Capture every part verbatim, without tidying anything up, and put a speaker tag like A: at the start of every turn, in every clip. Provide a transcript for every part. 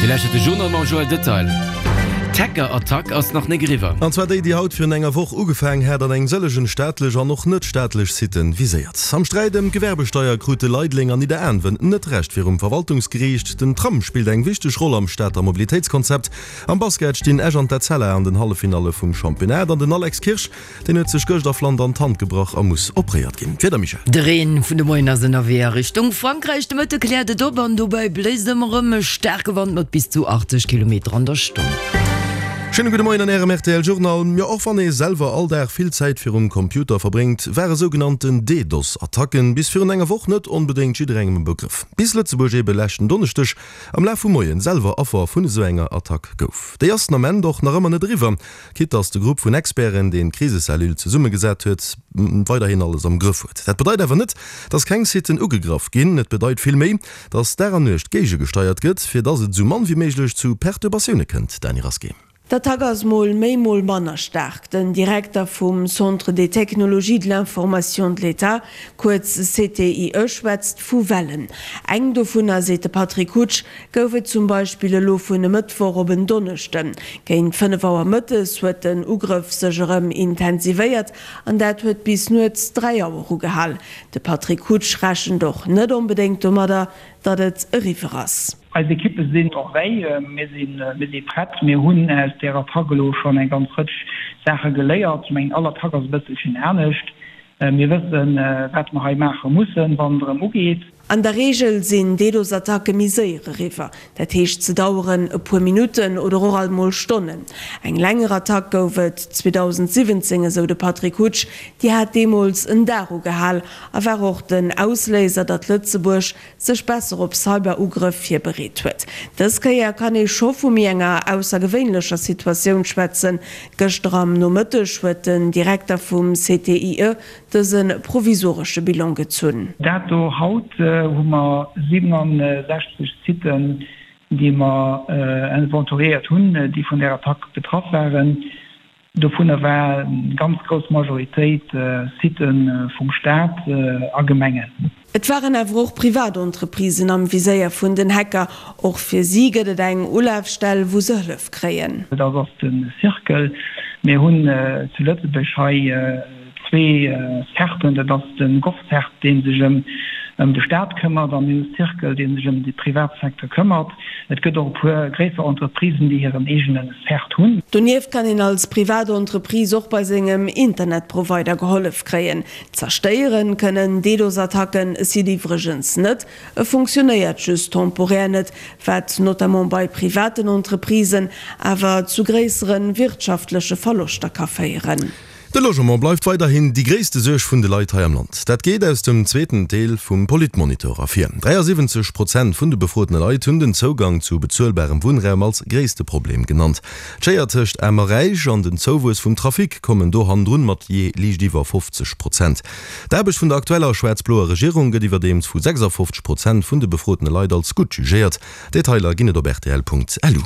A: Dir lauschtert de Journal mam Joël Detail. D'Hacker-Attack ass nach nik eriwwer.
B: An zwar déi, déi haut virun enger Woch ugefaangen hat an eng sëllegen staatlech an och net staatlech Sitten viséiert. Am Sträit ëm d'Gewerbesteier krute Leideleng an Nidderaanwen net Recht virum Verwaltungsgeriicht. Den Tram spillt eng wichteg Roll am Stater Mobilitéitskonzept. Am Basket stinn Esch an d'Etzella an den Halleffinalle vum Championnat an den Alex Kirsch, deen huet sech gëscht a Flandern d'Hand gebrach a muss opréiert ginn. D'Wieder, Michèle?
C: De Reen vun de Moien ass ënnerwee a Richtung Frankräich. De Mëtte kläert et op an dobäi bléist ëmmer erëm e staarke Wand mat bis zu achtzeg Kilometer an der Stonn.
B: Schéine gudde Moien an Ärem rtl Journal. Jo, och wann ee selwer all Dag vill Zäit virum Computer verbréngt, ware sougenannten DDoS-Attacken bis virun enger Woch net onbedéngt jidderengem e Begrëff. Bis Lëtzebuerg ebe leschten Donneschdeg am Laf vum Moien selwer Affer vun esou enger Attack gouf. Déi ass den Ament och nach ëmmer net eriwwer, quitte dass de Grupp vun Experten, deen d'Krisecellule zesummegesat huet, weiderhin alles am Grëff huet. Dat bedeit awer net, dass keng Siten ugegraff ginn. Et bedeit vill méi, dass Dag an Nuecht géigegesteiert gëtt, fir dass et esou mann wéi méiglech zu Perturbatioune kënnt. Dany Rasqué.
D: D'Attack ass mol méi, mol manner staark. Den Direkter vum Centre des technologies de l'information de l'État, kuerz C T I E, schwätzt vu Wellen. Eng dovunner, seet de Patrick Hutsch, gouf et zum Beispill elo vun e Mëttwoch op en Donneschden. Géint fënnef Auer mëttes huet den Ugrëff sech erëm intensivéiert an dat huet bis nuets dräi Auer ugehal. De Patrick Hutsch rechent och net onbedéngt domadder, datt et eriwwer ass.
E: Eis Ekippe sinn en veille, mir si prett. Mir hunn aus där Attack elo schonn eng ganz Rëtsch Saache geléiert. Ech mengen, all Attack ass e bësselchen anescht. Mir wëssen, wat mer hei maache mussen, wann et erëm ugeet.
D: An der Reegel sinn DDoS-Attacke méi séier eriwwer, dat heescht se daueren e puer Minutten oder och alt mol Stonnen. Eng länger Attack gouf et zweedausendsiwwenzéng, esou de Patrick Hutsch. Déi hat deemools en Dag ugehal a war och den Ausléiser, datt Lëtzebuerg sech besser op Cyber-Ugrëff virbereet huet. Dës Kéier kann ee scho vu méi enger aussergewéinlecher Situatioun schwätzen. Gëschter am Nomëtteg huet den Direkter vum C T I E dëse provisoresche Bilan gezunn.
E: Dato haut hu mer siwenundsechzeg Siten, déi mer inventoriéiert hunn, déi vun där Attack betraff waren. Dovunner war eng ganz grouss Majoritéit Sitë vum Staat a Gemengen.
D: Et waren awer och privat Entreprisen am Viséier vun den Hacker. Och fir si gëtt et eng Ulafstell, wou se Hëllef kréien.
E: Dat ass de Circle. Mir hunn zu Lëtzebuerg hei zwee CERTen, dat ass de GovCERT, dee sech ëm de Staat këmmert, a mir hu Circle, dee sech ëm de Privatsecteur këmmert. Et gëtt och e puer gréisser Entreprisen, déi hiren eegene CERT hunn.
D: Donieft kann een als privat Entreprise och bei sengem Internetprovider gehollef kréien. Zerstéiere kënnen DDoS-Attacken e Site iwwregens net, e funktionéiert just temporär net, wat notamment bei privaten Entreprisen awer zu gréissere wirtschaftleche Verloschter ka féieren.
B: De Logement bleift weiderhin déi gréisste Suerg vun de Leit hei am Land. Dat geet aus dem zweeten Deel vum Politmonitor ervir. dräiasiwwenzeg Prozent vun de befrotene Leit hunn den Zougang zu bezuelbarem Wunnraum als gréisste Problem genannt. D'Schéier tëscht Aarm a Räich an den Zouwuess vum Trafic kommen do hannendrun mat jee liicht iwwer fofzeg Prozent. D'Aarbecht vun der aktueller schwaarz-bloer Regierung gëtt iwwerdeems vu sechsafofzeg Prozent vun de befrotene Leit als gutt jugéiert. Detailer ginn et op rtl Punkt lu.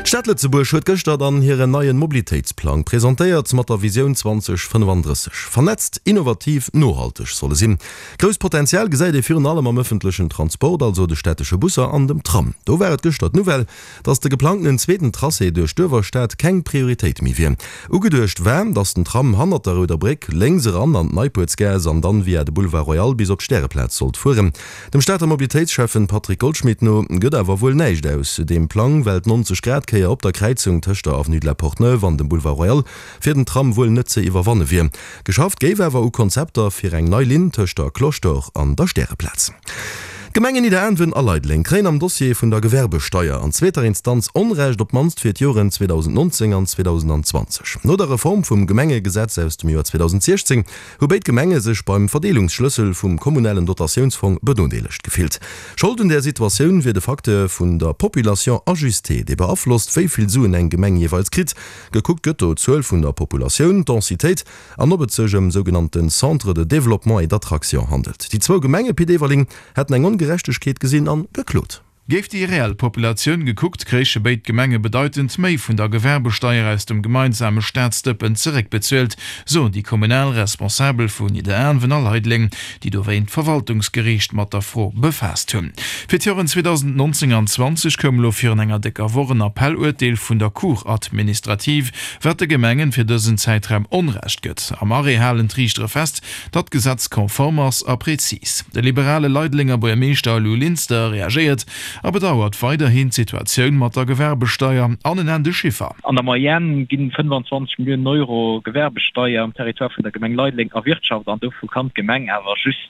B: D'Stad Lëtzebuerg huet gëschter dann hiren neien Mobilitéitsplang presentéiert mat der Visioun zweedausendfënnefandrësseg. Vernetzt, innovativ, nohalteg soll e sinn. Grousst Potenzial gesäit ee virun allem am ëffentlechen Transport, also de stättesche Busser an dem Tram. Do war et gëschter d'Nouvelle, datt de geplangtenen zweeten Tracé duerch d'Uewerstad keng Prioritéit méi wier. Ugeduecht war, datt den Tram hannert der Rouder Bréck lénks eran an d'Neipuertsgaass an dann via de Boulevard Royal bis op d'Stäreplaz sollt fueren. Dem Stater Mobilitéitsschäffen Patrick Goldschmidt no gëtt awer wuel näischt aus deem Plang, well d'nonzeg Grad Kéier op der Kräizung tëscht der Avenue de la Porte-Neuve an dem Boulevard Royal fir den Tram wuel net ze iwwerwanne wier. Geschafft géif awer u Konzepter fir eng nei Linn tëscht der Cloche d'Or an der Stäreplaz. D'Gemengen Nidderaanwen a Leideleng kréien am Dossier vun der Gewerbesteier an zweeter Instanz Onrecht, op d'mannst fir d'Joren zweedausendnonzéng an zweedausendzwanzeg. No der Reform vum Gemengegesetz aus dem Joer zweedausendsiechzéng hu béid Gemenge sech beim Verdeelungsschlëssel vum kommunalen Dotatiounsfong benodeelegt gefillt. Schold un där Situatioun wier de Facteur vun der Population ajustée, dee beaflosst, wéi vill Suen eng Gemeng jeeweils kritt. Gekuckt gëtt do d'Zuel vun der Populatioun, d'Densitéit an ob et sech ëm sougenannte Centres de développement et d'attraction handelt. Déi zwou Gemenge Pit Everling hätten eng Ongerechtegkeet gesinn an geklot.
F: Géif déi reell Populatioun gekuckt, kréiche béid Gemenge bedeitend méi vun der Gewerbesteier aus dem gemeinsame Staatsdëppen zeréckbezuelt, soen déi kommunal Responsabel vu Nidderaanwen a Leideleng, déi dowéint d'Verwaltungsgeriicht mat der Fro befaasst hunn. Fir d'Joren zweedausendnonzéng an zwanzeg koum elo virun enger décker Woch en Appelluerteel vun der Cour administrative, wat de Gemengen fir dësen Zäitraum Onrecht gëtt. Am Arrêt halen d'Riichtere fest, datt d'Gesetz konform ass a prezis. De liberale Leidelenger Buergermeeschter Lou Linster reagéiert a bedauert weiderhin d'Situatioun mat der Gewerbesteier an en nennt e Chiffer.
G: An der Moyenne gi fënnfanzwanzeg Milliounen Euro Gewerbesteier am Territoire vun der Gemeng Leideleng erwirtschaft an dovu kann d'Gemeng awer just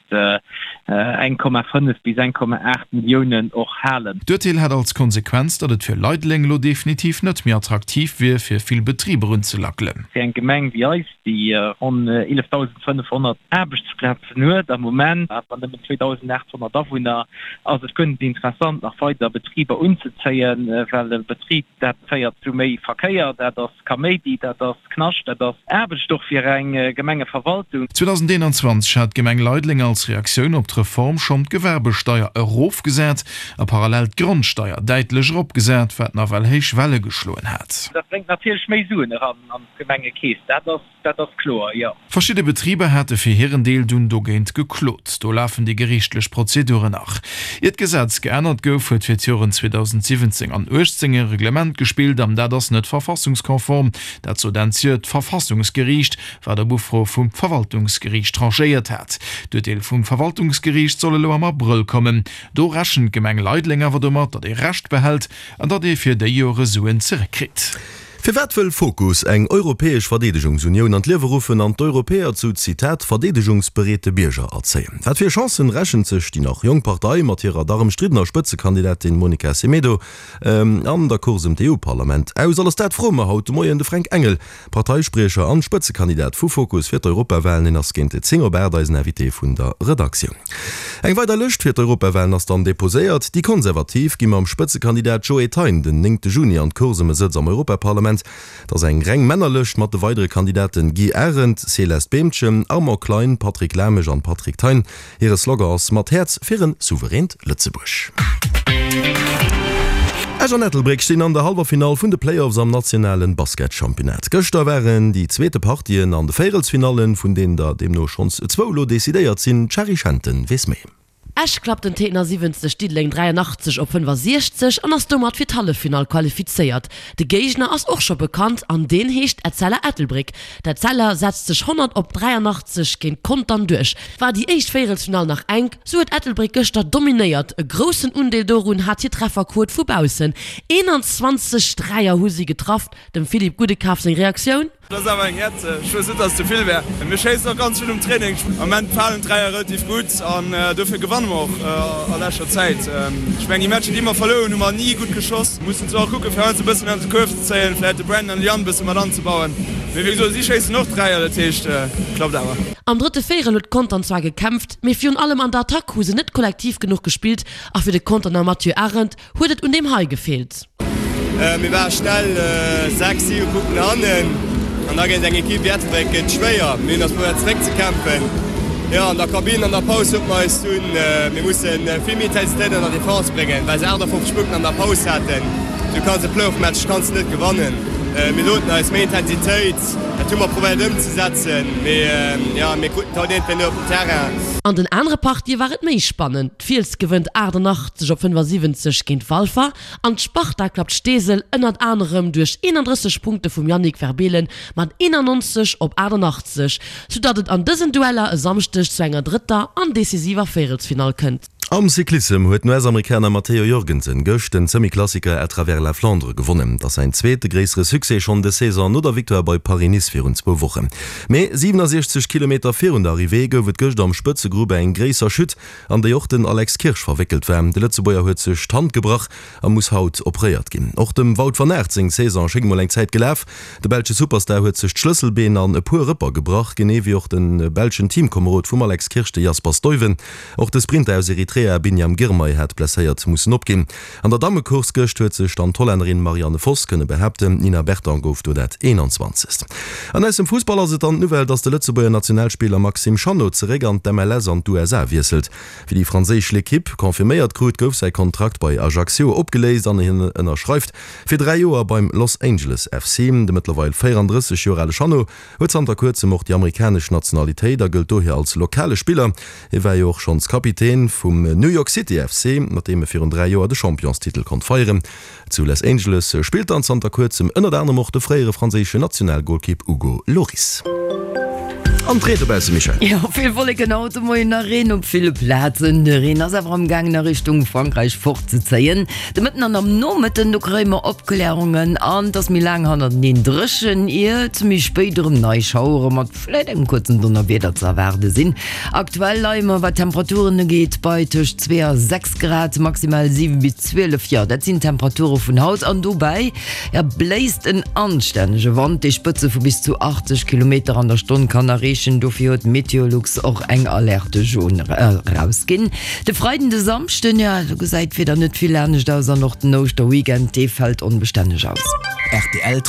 G: eng Komma fënnef bis eng Komma aacht Milliounen och halen.
F: D'Urteel hätt als Konsequenz, datt et fir Leideleng elo definitiv net méi attraktiv wier, fir vill Betriber unzelackelen.
G: Fir eng Gemeng wéi eis, déi ronn eelefdausendfënnefhonnert Aarbechtsplazen huet am Moment, awer nëmmen zweedausendaathonnert Awunner, ass et guer net interessant, nach weider Betriber unzezéien, well e Betrib, dat féiert zu méi Verkéier, dat ass Kaméidi, dat ass Knascht, dat ass Aarbecht och fir eng Gemengeverwaltung.
F: zweedausendeenanzwanzeg hat d'Gemeng Leideleng als Reaktioun op d'Reform schonn d'Gewerbesteier erofgesat a parallel d'Grondsteier däitlech eropgesat, wat nawell héich Welle geschloen hat.
G: Dat bréngt natierlech méi Suen eran an d'Gemengekeess, dat ass Dat ass kloer, jo.
F: Verschidde Betriber hate fir hiren Deel dunn dogéint geklot. Do lafen déi geriichtlech Prozeduren nach. Ier d'Gesetz geännert gouf, huet fir d'Joren zweedausendsiwwenzéng an uechtzéng e Reglement gespillt an dat ass net verfassungskonform. Dat sot Enn d'Joer d'Verfassungsgeriicht, wat op Ufro vum Verwaltungsgeriicht tranchéiert hat. D'Urteel vum Verwaltungsgeriicht soll elo am Abrëll kommen. Do rechent d'Gemeng Leideleng awer domat, datt ee Recht behält an datt ee fir déi Jore Suen zeréckkritt.
B: Firwat wëll Fokus eng europäesch Verdeedegungsunioun an d'Liewe ruffen an d'Europäer zu, Zitat, verdeedegungsbereete Bierger erzéien? Wat fir Chancen rechent sech déi nach jonk Partei mat hirer dach ëmstriddener Spëtzekandidatin Monica Semedo an der Course ëm d'EU-Parlament aus? Alles dat froe mer haut de Moien de Fränk Engel, Parteispriecher an Spëtzekandidat vu Fokus fir d'Europawahlen. Hien ass géint zéng op aacht eisen Invité vun der Redaktioun. Eng weider Lëscht fir d'Europawahlen ass dann deposéiert. Déi Konservativ gi mam Spëtzekandidat Joe Thein den néngte Juni an d'Course ëm e Sëtz am Europaparlament. Et ass eng reng Männerlëscht mat de weidere Kandidaten Guy Arendt, Céleste Beemchen, Armand Klein, Patrick Lamesch an Patrick Thein. Hire Slogan ass Mat Häerz fir en souveränt Lëtzebuerg. Esch an Ettelbréck stinn an der Hallwerfinall vun de Playoffs am nationale Basketchampionnat. Gëschter waren déi zweete Partien an de Véierelsfinallen, vun deenen der deemno schonns zwou elo decidéiert sinn. D'Shari Schenten weess méi.
H: Esch klappt den Téitner siwwenzeg, Diddeleng dräianachtzeg op fënnfasiechzeg an ass domat fir d'Halleffinall qualifizéiert. De Géigner ass och scho bekannt an deen heescht Etzella Ettelbréck. D'Etzella setzt sech honnert op dräianachtzeg géint Contern duerch. War déi éischt Véierelsfinall nach enk, sou huet Ettelbréck gëschter dominéiert. E groussen Undeel dorun hat hir Trefferquot vu baussen, eenanzwanzeg Dräier hu si getraff. Dem Philippe Goudekaf seng Reaktioun?
I: Dat ass awer eng Hetz. Ech wouss net, dass et souvill wär. Mir schéissen och ganz vill um Training. Am Moment falen d'Dräier relativ gutt an dofir gewanne mer och a leschter Zäit. Ech mengen, déi Matcher, déi mer verluer hunn, hu mer ni gutt geschoss. Mir mussen zwar och kucken, fir heiansdo e bëssen ënnert de Kuerf ze zéien, vläicht de Brandon an de Yann e bësse mat anzebauen. Mee wéi gesot, si schéissen och Dräier, dat heescht, klappt awer.
H: Am drëtte Véierel huet Contern zwar gekämpft, mee virun allem an der Attack hu se net kollektiv genuch gespillt a fir de Conterner Mathieu Arendt huet et un deem hei gefeelt.
J: Mir ware schnell sechs, siwe Punkten hannen an da géint eng Ekipp wéi Ettelbréck gëtt et schwéier. Mir hunn eis probéiert zeréckzekämpfen. Jo, an der Kabinn an der Paus sote mer eis dunn, mir musse vill méi Intensitéit an der Defense bréngen, well se achtafofzeg Punkten an der Paus haten. Du kanns e Playoff-Match kanns de net gewannen. Mir soten eis, méi Intensitéit, dat hu mer probéiert ëmzesetzen, mee jo, mir kruten et haut iergendwéi net op den Terrain.
H: An den anere Partië war et méi spannend. D'Fiels gewënnt achtannachtzeg op fënnfasiwwenzeg géint Walfer An d'Sparta klappt Steesel ënnert anerem duerch eenandrësseg Punkte vum Yannick Verbeelen mat eenannonzeg op achtannachtzeg, soudatt et an dësen Dueller e Samschdeg zu enger drëtter an decisiver Véierelsfinall kënnt.
B: Am Cyclissem huet den U S-Amerikaner Matteo Jorgensen gëscht den Semi-Klassiker À travers la Flandre gewonnen. Et ass säin zweete gréissere Succès schonn dës Saison, no der Victoire bei Paris-Nice virun zwou Wochen. Mee siwenasiechzeg Kilometer virun der Arrivée gouf et gëscht am Spëtzegrupp eng gréisser Chute, an déi och den Alex Kirsch verwéckelt war. De Lëtzebuerger huet sech d'Hand gebrach a muss haut operéiert ginn. Och dem Wout van Aert seng Saison schéngt mol eng Zäit gelaf. De belsche Superstar huet sech d'Schlësselbeen an e puer Rëpper gebrach, genee wéi och de belschen Teamkomerod vum Alex Kirsch, de Jasper Stuyven. Och de Sprinter aus Eritrea Eritrea Biniam Girmay hat blesséiert mussen opginn. An der Dammecourse gëscht huet sech dann d'Hollännerin Marianne Vos kënne behaapten, d'Nina Berton gouf do dat eenanzwanzegst. An aus dem Fussball ass et dann d'Nouvelle, dass de Lëtzebuerger Nationalspiller Maxime Chanot zeréck an d'MLS an d'USA wiesselt. Wéi déi franséisch L'Equipe confirméiert krut, gouf säi Kontrakt bei Ajaccio opgeléist an hien ënnerschreift fir dräi Joer beim Los Angeles F C. De mëttlerweil véierandrësseg Joer ale Chanot huet zanter kuerzem och déi amerikanesch Nationalitéit a gëllt dohier als lokale Spiller. Hie war jo och schonns Kapitän vum New York City F C, mat deem e virun dräi Joer de Championstitel konnt feieren. Zu Los Angeles spillt dann zanter kuerzem ënnert anerem och de fréiere franséischen Nationalgolkipp Hugo Lloris. An d'Reed dobausse, Michèle?
C: Jo, vill Wolleken haut de Moien a Reen op ville Plazen. De Reen ass awer am gaangen a Richtung Frankräich fortzezéien. De Mëtten an am Nomëtten, do kréie mer Opklärungen an et ass méi laang hannerteneen dréchen, ier et méi spéit erëm nei Schauere mat vläit engem kuerzen Donnerwieder ze erwaarde sinn. Aktuell leie mer, wat d'Temperaturen ugeet, bei tëscht zwee a sechs Grad, maximal siwe bis zwielef. Jo, dat sinn d'Temperature vun haut an dobäi, jo, bléist en anstännege Wand, dee Spëtze vu bis zu achtzeg Kilometer an der Stonn kann erreechen. Dofir huet Meteolux och eng Alerte jaune erausginn. De Freiden, de Samschden, jo, do gesäit d'Wieder net vill anescht aus an och den Ouschterweekend, dee fält onbestänneg aus.
B: Rtl.